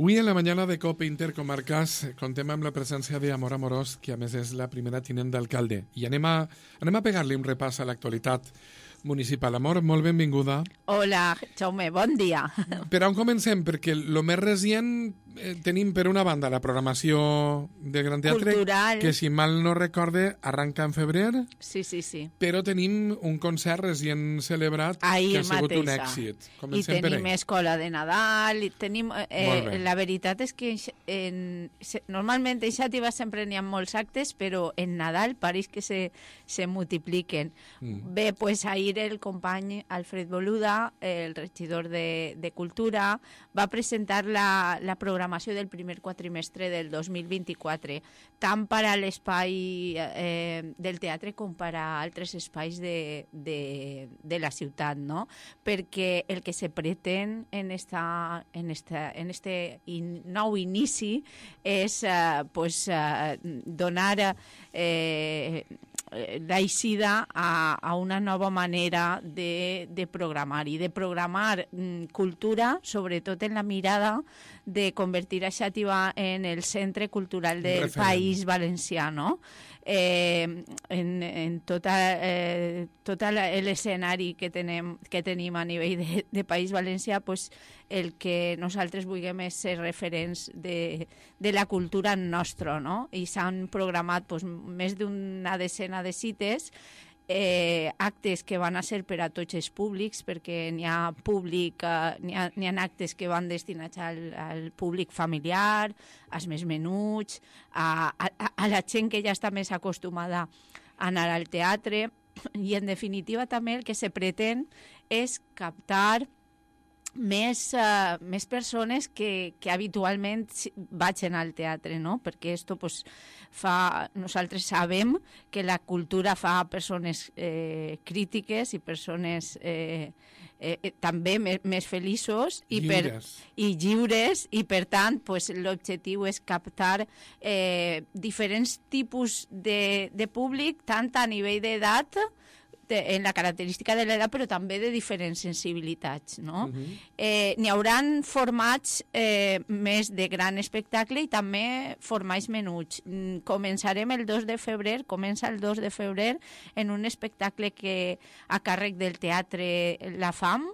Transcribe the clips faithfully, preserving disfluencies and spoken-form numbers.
Avui en la mañana de COPE Intercomarcas contem amb la presència d'Amor Amorós, que a més és la primera tinent d'alcalde. I anem a, anem a pegar-li un repàs a l'actualitat municipal. Amor, molt benvinguda. Hola, Jaume, bon dia. Per on comencem? Perquè el més recient eh, tenim per una banda la programació del Gran Teatre, Cultural. que si mal no recorde arranca en febrer, Sí, sí, sí. però tenim un concert recient celebrat Ahir que ha sigut mateixa. un èxit. I Comencem per tenim ell. escola de Nadal, i tenim... Molt Eh, bé. la veritat és que en, se, normalment en Xàtiva sempre n'hi ha molts actes, però en Nadal pareix que se, se multipliquen. Mm. Bé, pues ahir el company Alfred Boluda, el regidor de, de Cultura, va presentar la, la programació del primer quatrimestre del dos mil vint-i-quatre, tant per a l'espai eh, del teatre com per a altres espais de, de, de la ciutat, no? Perquè el que se pretén en, esta, en, esta, en este in, nou inici és eh, pues, eh, donar eh, l'aixida a, a una nova manera de, de programar i de programar mm, cultura, sobretot en la mirada de convertir a Xàtiva en el centre cultural del Referent. País Valencià, no? Eh, en, en tota, eh, tot l'escenari que tenim, que tenim a nivell de, de País Valencià, pues, el que nosaltres vulguem és ser referents de, de la cultura nostra, no? I s'han programat pues, més d'una decena de cites, eh, actes que van a ser per a tots els públics, perquè n'hi ha públic, eh, n'hi ha, n'hi ha actes que van destinats al, al públic familiar, als més menuts, a, a, a la gent que ja està més acostumada a anar al teatre, i en definitiva també el que se pretén és captar més, uh, més persones que, que habitualment vagin al teatre, no? Perquè esto, pues, fa, nosaltres sabem que la cultura fa persones eh, crítiques i persones eh, eh, també més, més feliços i, Lliures. per, i lliures, i per tant pues, l'objectiu és captar eh, diferents tipus de, de públic, tant a nivell d'edat, en la característica de l'edat, però també de diferents sensibilitats, no? Uh-huh. eh, n'hi hauran formats eh, més de gran espectacle i també formats menuts. Mm, començarem el dos de febrer, comença el dos de febrer en un espectacle que a càrrec del Teatre La Fam,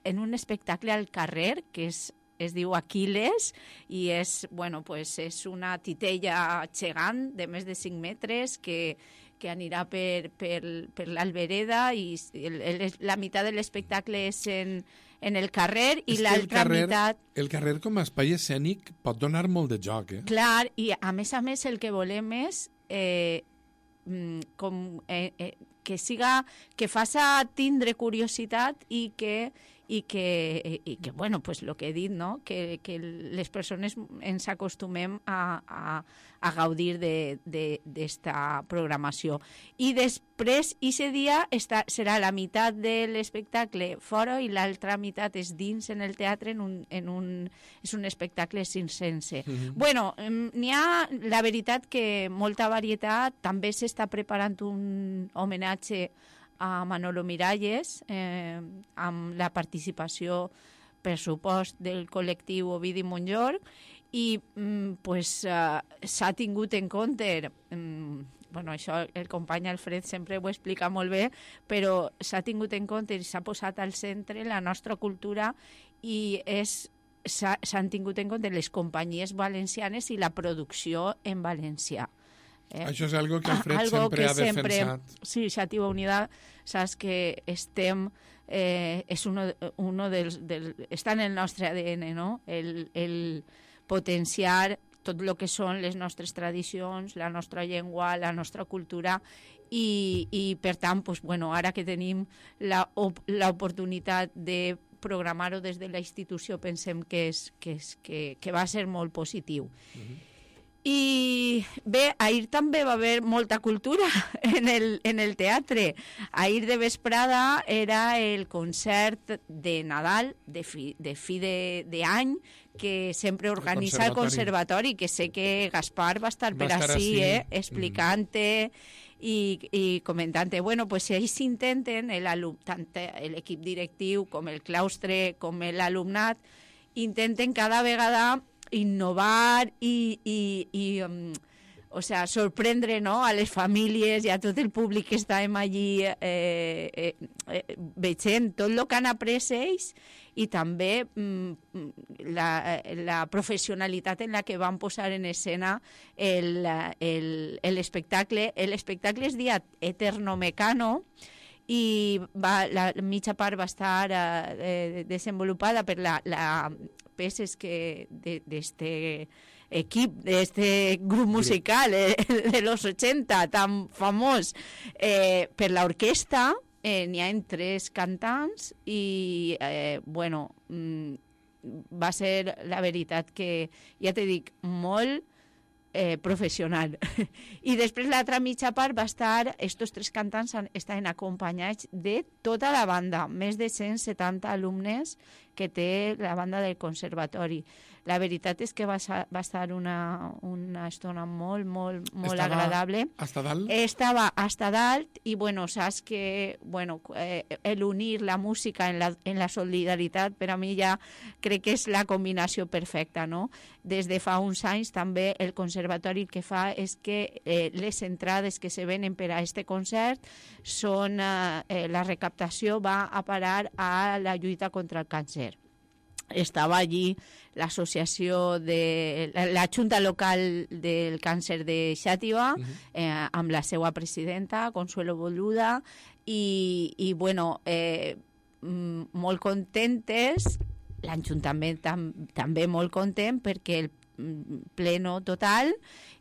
en un espectacle al carrer, que és es diu Aquiles, i és, bueno, pues és una titella gegant de més de cinc metres que que anirà per, per, per l'Albereda, i el, el, la meitat de l'espectacle és en, en el carrer i l'altra meitat... El carrer com a espai escènic pot donar molt de joc, eh? Clar, i a més a més el que volem és eh, com, eh, eh, que siga, que faça tindre curiositat i que i que, i que bueno, pues lo que he dit, no? Que, que les persones ens acostumem a, a, a gaudir d'esta programació. I després, aquest dia està, serà la meitat de l'espectacle fora i l'altra meitat és dins en el teatre, en un, en un, és un espectacle circense. Mm-hmm. Bueno, n'hi ha, la veritat, que molta varietat. També s'està preparant un homenatge a Manolo Miralles, eh, amb la participació, per supost, del col·lectiu Ovidi Montllor, i mm, pues, uh, s'ha tingut en compte, mm, bueno, això el company Alfred sempre ho explica molt bé, però s'ha tingut en compte i s'ha posat al centre la nostra cultura, i és s'han tingut en compte les companyies valencianes i la producció en valencià. Eh? Això és algo que Alfred algo sempre que ha sempre, defensat. Sí, Xàtiva Unida, saps que estem, eh, és uno, uno dels, del, està en el nostre A D N, no? El, el potenciar tot el que són les nostres tradicions, la nostra llengua, la nostra cultura, i, i per tant, pues, bueno, ara que tenim l'oportunitat de programar-ho des de la institució, pensem que, és, que, és, que, que va ser molt positiu. Uh-huh. I bé, ahir també va haver molta cultura en el, en el teatre. Ahir de vesprada era el concert de Nadal, de fi de, fi de, de any, que sempre organitza el conservatori, que sé que Gaspar va estar per ací, eh, explicant-te i, i comentant-te. Bueno, pues ells s'intenten, tant l'equip directiu com el claustre, com l'alumnat, intenten cada vegada innovar i, i, i um, o sea, sorprendre, no?, a les famílies i a tot el públic que estàvem allí eh, eh, eh, veient tot el que han après ells i també mm, la, la professionalitat en la que van posar en escena l'espectacle. L'espectacle es deia Eterno Mecano i va, la mitja part va estar eh, desenvolupada per la, la peces que d'este equip, d'este grup musical eh, de los ochenta tan famós eh, per l'orquestra. Eh, n'hi ha tres cantants i eh, bueno, mm, va ser la veritat que, ja te dic, molt eh, professional. I després l'altra mitja part va estar, estos tres cantants estaven acompanyats de tota la banda, més de cent setanta alumnes que té la banda del conservatori. La veritat és que va, va estar una, una estona molt, molt, molt Estava agradable. Hasta dalt? Estava hasta dalt i, bueno, saps que, bueno, eh, el unir la música en la, en la solidaritat, per a mi ja crec que és la combinació perfecta, no? Des de fa uns anys també el conservatori el que fa és que eh, les entrades que se venen per a este concert són, eh, la recaptació va a parar a la lluita contra el càncer. Estava allí l'associació de la, la Junta Local del Càncer de Xàtiva, uh-huh. eh, amb la seva presidenta, Consuelo Boluda, i, i bueno, eh, molt contentes, l'Ajuntament tam, també molt content perquè el pleno total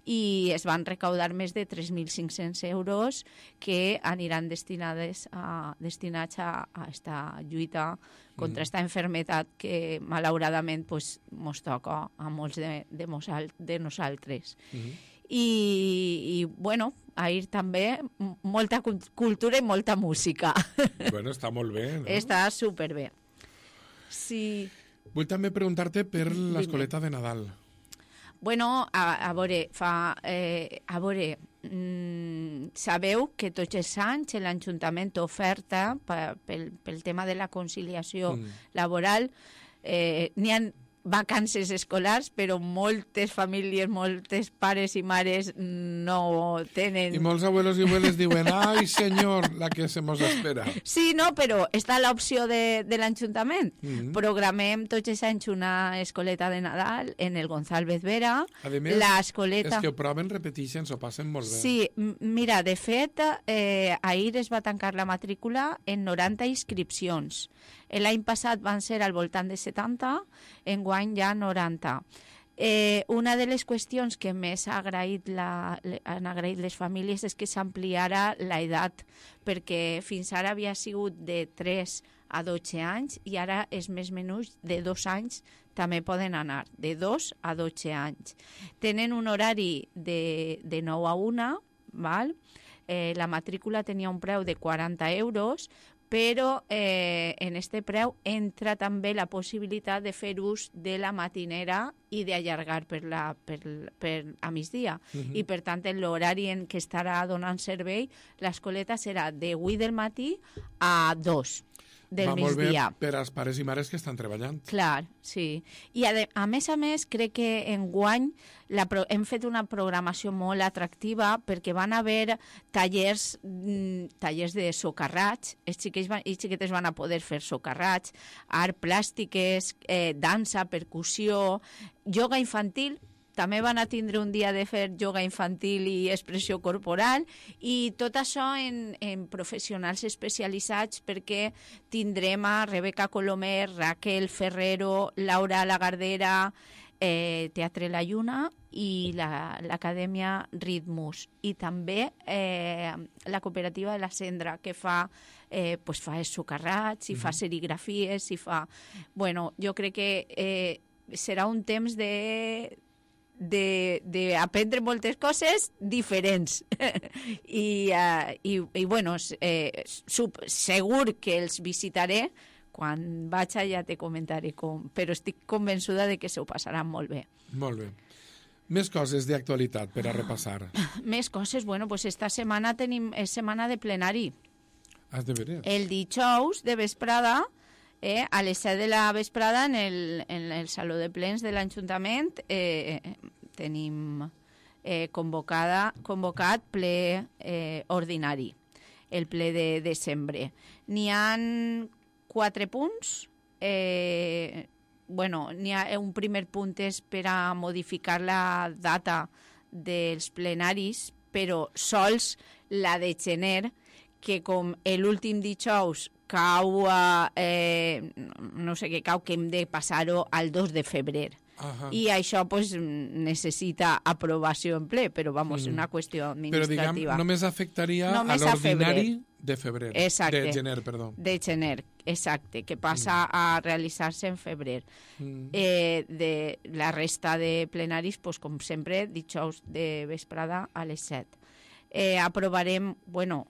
i es van recaudar més de tres mil cinc-cents euros que aniran destinades a, destinats a, a esta lluita contra esta enfermetat que malauradament pues, mos toca a molts de, de, mosal, de nosaltres. Uh-huh. I, i bueno, ahir també molta cultura i molta música. Bueno, està molt bé, no? Està superbé. Sí. Vull també preguntar-te per l'escoleta de Nadal. Bueno, a, a veure, fa, eh, a veure, mm, sabeu que tots els anys l'Ajuntament oferta pa, pel, pel tema de la conciliació mm. laboral, eh, n'hi ha vacances escolars, però moltes famílies, moltes pares i mares no tenen... I molts abuelos i abueles diuen, ai senyor, la que se mos espera. Sí, no, però està l'opció de, de l'Ajuntament. Mm-hmm. Programem tots els anys una escoleta de Nadal en el González Vera. A més, l'escoleta... és que ho proven, repeteixen, s'ho passen molt bé. Sí, mira, de fet, eh, ahir es va tancar la matrícula en noranta inscripcions. L'any passat van ser al voltant de setanta, enguany ja noranta. Eh, una de les qüestions que més ha agraït la, han agraït les famílies és que s'ampliara l'edat, perquè fins ara havia sigut de tres a dotze anys i ara és més menús de dos anys també poden anar, de dos a dotze anys. Tenen un horari de, de nou a una, val? Eh, la matrícula tenia un preu de quaranta euros, però eh, en este preu entra també la possibilitat de fer ús de la matinera i d'allargar per, la, per, per a migdia. Uh-huh. I, per tant, en l'horari en què estarà donant servei, l'escoleta serà de vuit del matí a dos del Va molt migdia. bé per als pares i mares que estan treballant. Clar, sí. I a, de, a més a més, crec que enguany la pro, hem fet una programació molt atractiva perquè van haver tallers, mm, tallers de socarrats, els xiquets van, i xiquetes van a poder fer socarrats, art plàstiques, eh, dansa, percussió, ioga infantil. També van a tindre un dia de fer ioga infantil i expressió corporal i tot això en, en professionals especialitzats perquè tindrem a Rebeca Colomer, Raquel Ferrero, Laura Lagardera, eh, Teatre La Lluna i l'Acadèmia la, Ritmus. I també eh, la cooperativa de la Cendra, que fa, eh, pues fa socarrats, i mm-hmm. fa serigrafies, i fa... Bueno, jo crec que eh, serà un temps de... d'aprendre moltes coses diferents I, uh, i, i bueno eh, sub, segur que els visitaré quan vaig allà te comentaré com, però estic convençuda de que se ho passaran molt bé. Molt bé. Més coses d'actualitat per a repassar. Més coses, bueno, pues esta setmana tenim, és setmana de plenari. Has de veure. El dijous de vesprada Eh? A les set de la vesprada en el, en el Saló de Plens de l'Ajuntament eh, tenim eh, convocada, convocat ple eh, ordinari, el ple de desembre. N'hi ha quatre punts. Eh, bueno, n'hi ha un primer punt és per a modificar la data dels plenaris, però sols la de gener, que com l'últim dijous cau, eh, no sé què cau, que hem de passar-ho al dos de febrer. Ajá. I això pues, necessita aprovació en ple, però vamos, mm. una qüestió administrativa. Però diguem, només afectaria només a l'ordinari a de febrer. Exacte. De gener, perdó. De gener, exacte, que passa mm. a realitzar-se en febrer. Mm. Eh, de la resta de plenaris, pues, com sempre, dijous de vesprada a les set. Eh, aprovarem, bueno,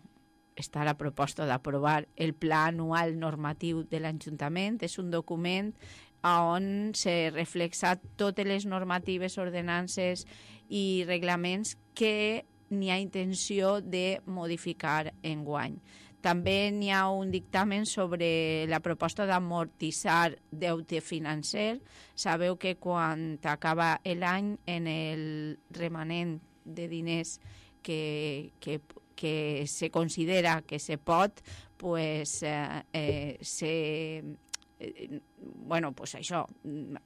està la proposta d'aprovar el Pla Anual Normatiu de l'Ajuntament. És un document on se reflexa totes les normatives, ordenances i reglaments que n'hi ha intenció de modificar enguany. També n'hi ha un dictamen sobre la proposta d'amortitzar deute financer. Sabeu que quan acaba l'any, en el remanent de diners que, que, que se considera que se pot, pues, eh, eh, se... bueno, pues això,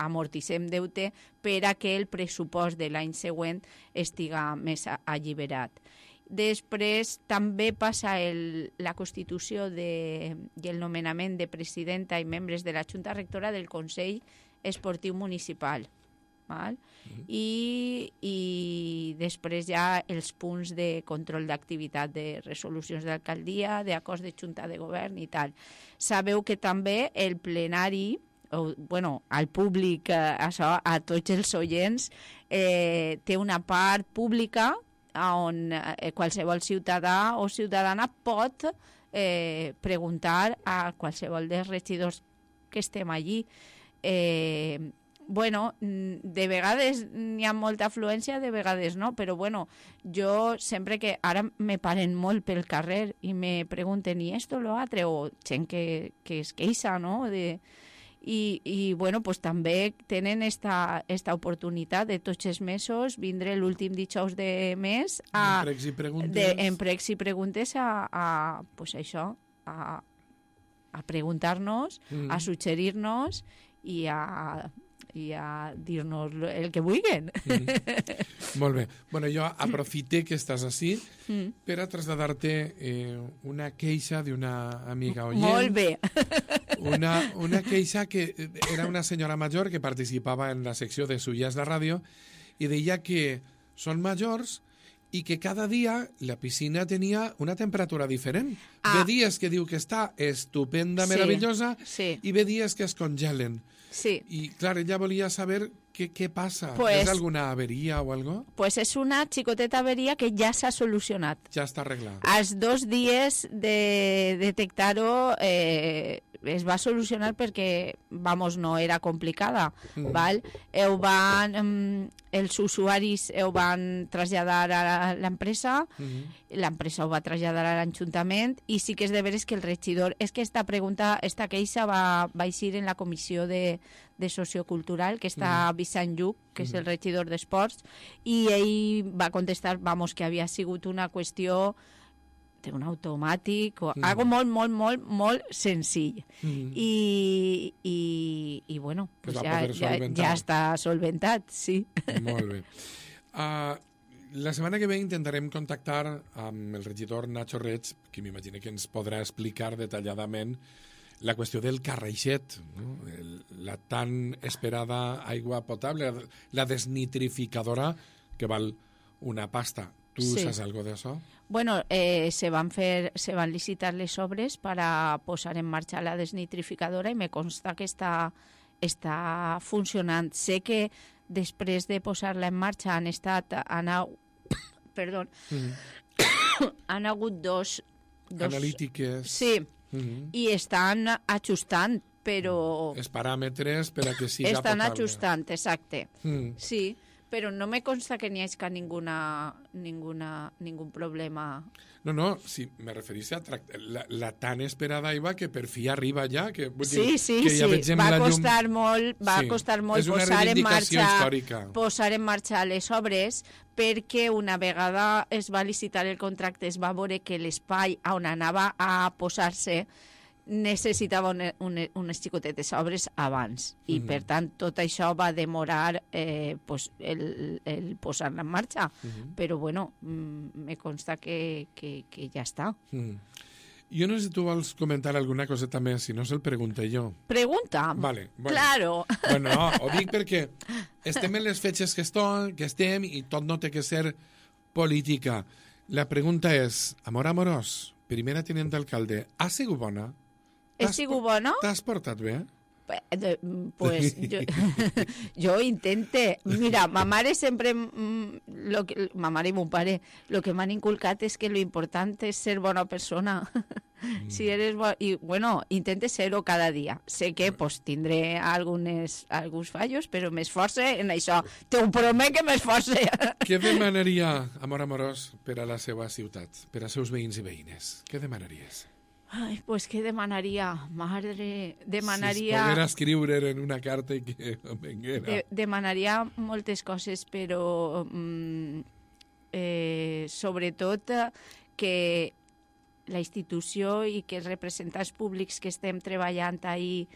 amortitzem deute per a que el pressupost de l'any següent estiga més alliberat. Després també passa el, la constitució de, i el nomenament de presidenta i membres de la Junta Rectora del Consell Esportiu Municipal. Val? Mm-hmm. I, I després ja els punts de control d'activitat de resolucions d'alcaldia, d'acords de Junta de Govern i tal. Sabeu que també el plenari, o, bueno, al públic, eh, això, a tots els oients, eh, té una part pública on eh, qualsevol ciutadà o ciutadana pot eh, preguntar a qualsevol dels regidors que estem allí. Eh, bueno, de vegades n'hi ha molta afluència, de vegades no, però bueno, jo sempre que ara me paren molt pel carrer i me pregunten i esto lo altre, o gent que, que es queixa, no? De, i, i bueno, pues també tenen esta, esta oportunitat de tots els mesos vindre l'últim dijous de mes a, en pregs i preguntes, de, en pregs i preguntes a, a pues això, a, a preguntar-nos, mm. a suggerir-nos i a i a dir-nos el que vulguin. Mm. Molt bé. Bueno, jo aprofité que estàs així mm. per a traslladar-te eh, una queixa d'una amiga oient. Molt bé. Una, una queixa que era una senyora major que participava en la secció de Suyas de Ràdio i deia que són majors i que cada dia la piscina tenia una temperatura diferent. Ah. Ve dies que diu que està estupenda, sí, meravellosa, sí, i ve dies que es congelen. Sí. I, clar, ella volia saber què, què passa. Pues, ¿És alguna averia o algo? Pues és una xicoteta averia que ja s'ha solucionat. Ja està arreglat. Als dos dies de detectar-ho eh, es va solucionar perquè, vamos, no era complicada. Mm. Val? Ho van, els usuaris ho van traslladar a l'empresa, mm-hmm. l'empresa ho va traslladar a l'Ajuntament i sí que és de veres que el regidor... És que esta pregunta, esta queixa va, va eixir en la comissió de, de sociocultural que està mm. Vicent Lluc, que mm. és el regidor d'Esports, i ell va contestar, vamos, que havia sigut una qüestió d'un automàtic o mm. algo molt, molt, molt, molt senzill. Mm. I, i, i bueno, pues ja, ja, ja està solventat, sí. Molt bé. Uh, la setmana que ve intentarem contactar amb el regidor Nacho Reig, que m'imagino que ens podrà explicar detalladament la qüestió del carreixet, no? El, la tan esperada aigua potable, la desnitrificadora, que val una pasta. Tu sí. Saps algo d'això? Bueno, eh, se van fer, se van licitar les obres para posar en marxa la desnitrificadora i me consta que està, està funcionant. Sé que després de posar-la en marxa han estat, han, perdó, mm-hmm. han hagut dos, dos... analítiques. Sí, mm-hmm. i estan ajustant, però... Els paràmetres per a que siga estan potable. Estan ajustant, exacte. Mm. Sí, però no me consta que n'hi hagi ninguna, ninguna, ningún problema. No, no, sí, me referís a tract- la, la tan esperada IVA que per fi arriba ja. Que, vull Sí, dir, sí, que ja sí. vegem Va la llum. costar molt, va Sí. costar molt És una posar en reivindicació marxa, històrica. posar en marxa les obres, perquè una vegada es va licitar el contracte es va veure que l'espai on anava a posar-se necessitava una, una, unes xicotetes obres abans i Mhm. per tant tot això va demorar eh, pues, el, el posar-la en marxa, Mhm. però bueno, mm, me consta que, que, que ja està. Mm. Jo no sé si tu vols comentar alguna coseta més, si no se'l pregunté jo. Pregunta. Vale, bueno. Claro. Bueno, no, ho dic perquè estem en les fetges que, eston, que estem i tot no té que ser política. La pregunta és, amor amorós, primera tinent d'alcalde, ha sigut bona? He T'has sigut por- bona? T'has portat bé? Eh, Pues yo, yo intenté. Mira, ma mare sempre... mm, Lo que, ma mare i mon pare, lo que m'han inculcat és que lo important és ser bona persona. Mm. Si eres bo, i bueno, intente ser-ho cada dia. Sé que pues, tindré algunes, alguns fallos, però m'esforce en això. T'ho promet que m'esforce. Què demanaria, amor amorós, per a la seva ciutat, per als seus veïns i veïnes? Què demanaries? Ai, pues què demanaria? Madre, Si demanaria... es poguera escriure en una carta i que venguera. De, demanaria moltes coses, però mm, eh, sobretot eh, que la institució i que els representants públics que estem treballant ahir,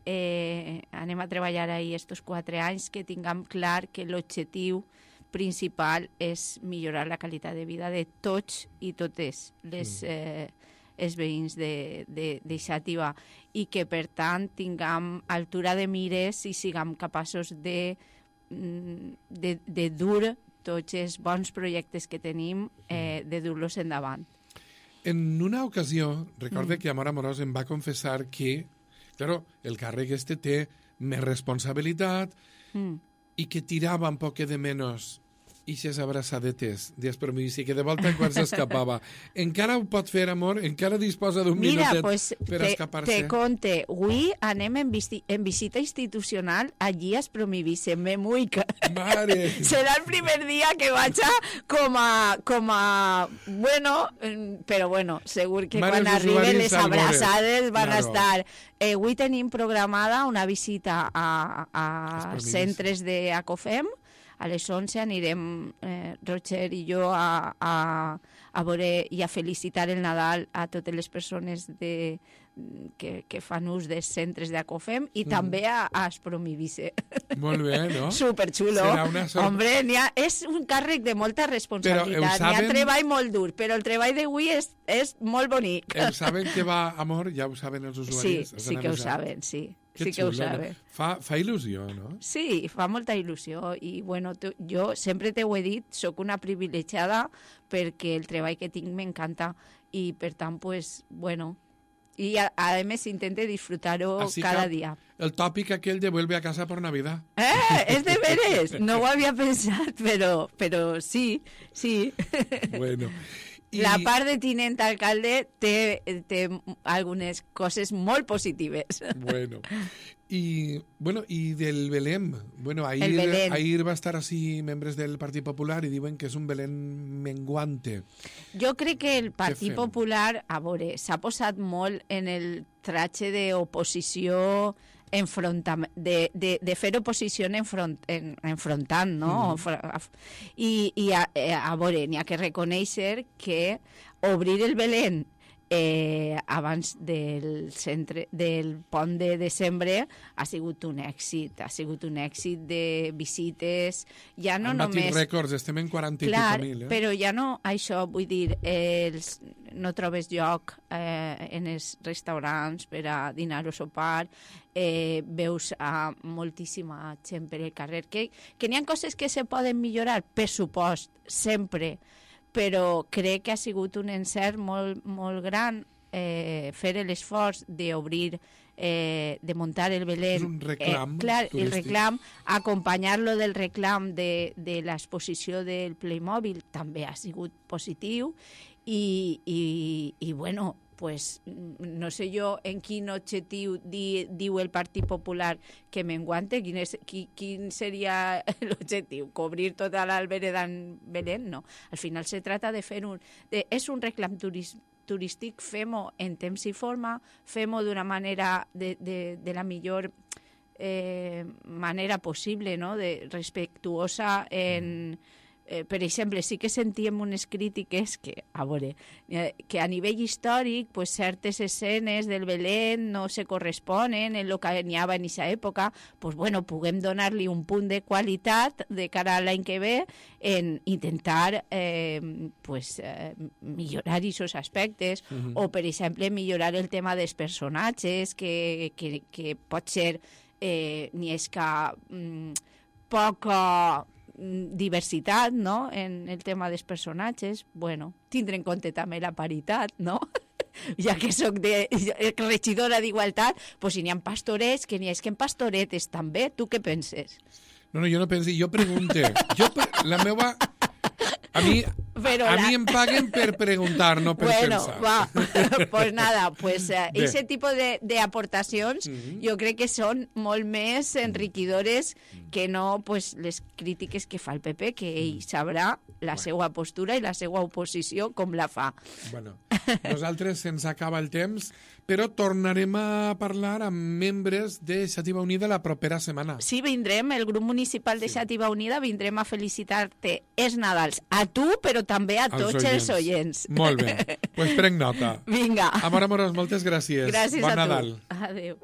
eh, anem a treballar ahir estos quatre anys, que tinguem clar que l'objectiu principal és millorar la qualitat de vida de tots i totes les, eh, els veïns d'Ixàtiva i que, per tant, tinguem altura de mires i siguem capaços de, de, de dur tots els bons projectes que tenim, eh, de dur-los endavant. En una ocasió, recorde mm. que Amor Amorós em va confessar que, claro, el càrrec este té més responsabilitat mm. i que tirava un poc de menys ixes abraçadetes d'espromici, que de volta en quan s'escapava. Encara ho pot fer, amor? Encara disposa d'un minutet pues, per te, escapar-se? te conte, avui anem en, visi en visita institucional allí a Espromivice, me muica. Mare! Serà el primer dia que vaig a com a... Com a bueno, però bueno, segur que Mare, quan els arriben usuaris les salvores. abraçades van Claro. a estar... Eh, avui tenim programada una visita a, a Espromivice. centres d'Acofem. A les onze anirem, eh, Roger i jo, a, a, a veure i a felicitar el Nadal a totes les persones de, que, que fan ús dels centres d'Acofem i mm. també a, a Espromivice. Molt bé, no? Superxulo. Serà una sort. Hombre, ha, és un càrrec de molta responsabilitat. saben... N'hi ha treball molt dur, però el treball d'avui és, és molt bonic. El saben que va, amor? Ja ho saben els usuaris? Sí, sí que ho saben, sí. Que sí que ho xulo, saben. no? Fa, fa il·lusió, no? Sí, fa molta il·lusió i bueno, tu, jo sempre t'ho he dit, sóc una privilegiada perquè el treball que tinc m'encanta i per tant, pues, bueno, i a, a més intente disfrutar-ho cada dia. El tòpic aquell de vuelve a casa por Navidad. Eh, és de veres, no ho havia pensat, però, però sí, sí. Bueno. I... La part de tinent alcalde té, té algunes coses molt positives. Bueno. I, bueno, i del Belém. Bueno, ahir, Belén. ahir va estar així membres del Partit Popular i diuen que és un Belén menguante. Jo crec que el Partit Popular, a veure, s'ha posat molt en el tratge d'oposició enfrontam de, de, de fer oposició enfront, en, enfrontant, no? Mm. I, i a, a veure, n'hi ha que reconèixer que obrir el Belén eh, abans del, centre, del pont de desembre ha sigut un èxit, ha sigut un èxit de visites, ja no Han batit només... rècords, estem en quaranta Clar, i mil, eh? però ja no això, vull dir, els, no trobes lloc eh, en els restaurants per a dinar o sopar, eh, veus a moltíssima gent per el carrer, que, que n'hi ha coses que se poden millorar, per supost, sempre, però crec que ha sigut un encert molt, molt gran eh, fer l'esforç d'obrir, eh, de muntar el Belén. És un reclam eh, clar, el turístic. reclam, acompanyar-lo del reclam de, de l'exposició del Playmobil també ha sigut positiu i, i, i bueno, pues, no sé jo en quin objectiu di, diu el Partit Popular que menguante, quin, és, qui, quin seria l'objectiu? Cobrir tota l'Albereda en Belén? No. Al final se trata de fer un... De, és un reclam turístic turístic, fem-ho en temps i forma, fem-ho d'una manera de, de, de la millor eh, manera possible, no? De respectuosa en... Eh, per exemple, sí que sentíem unes crítiques que, a veure, eh, que a nivell històric pues, certes escenes del Belén no se corresponen en el que n'hi havia en aquesta època, pues, bueno, puguem donar-li un punt de qualitat de cara a l'any que ve en intentar eh, pues, eh, millorar aquests aspectes uh-huh. o, per exemple, millorar el tema dels personatges que, que, que pot ser eh, ni és que mm, poca diversitat, no?, en el tema dels personatges. Bueno, tindre en compte també la paritat, no? Ja que soc de regidora d'Igualtat, pues si n'hi ha pastorets, que n'hi ha que en pastoretes també. Tu què penses? No, no, jo no penso, jo pregunte. Jo, la meva... A mi, Però a la... mi em paguen per preguntar, no per bueno, pensar. Va, pues nada, pues uh, ese tipo de, de aportacions uh-huh. jo crec que són molt més enriquidores uh-huh. que no pues, les crítiques que fa el P P, que ell sabrà la bueno. seva postura i la seva oposició com la fa. Bueno, nosaltres se'ns acaba el temps, però tornarem a parlar amb membres de Xàtiva Unida la propera setmana. Sí, vindrem, el grup municipal de sí. Xàtiva Unida, vindrem a felicitar-te els Nadals a tu, però també a tots els oients. els oients. Molt bé, doncs pues prenc nota. Vinga. Amor, amorós, moltes gràcies. Gràcies bon a Nadal. tu. Adéu.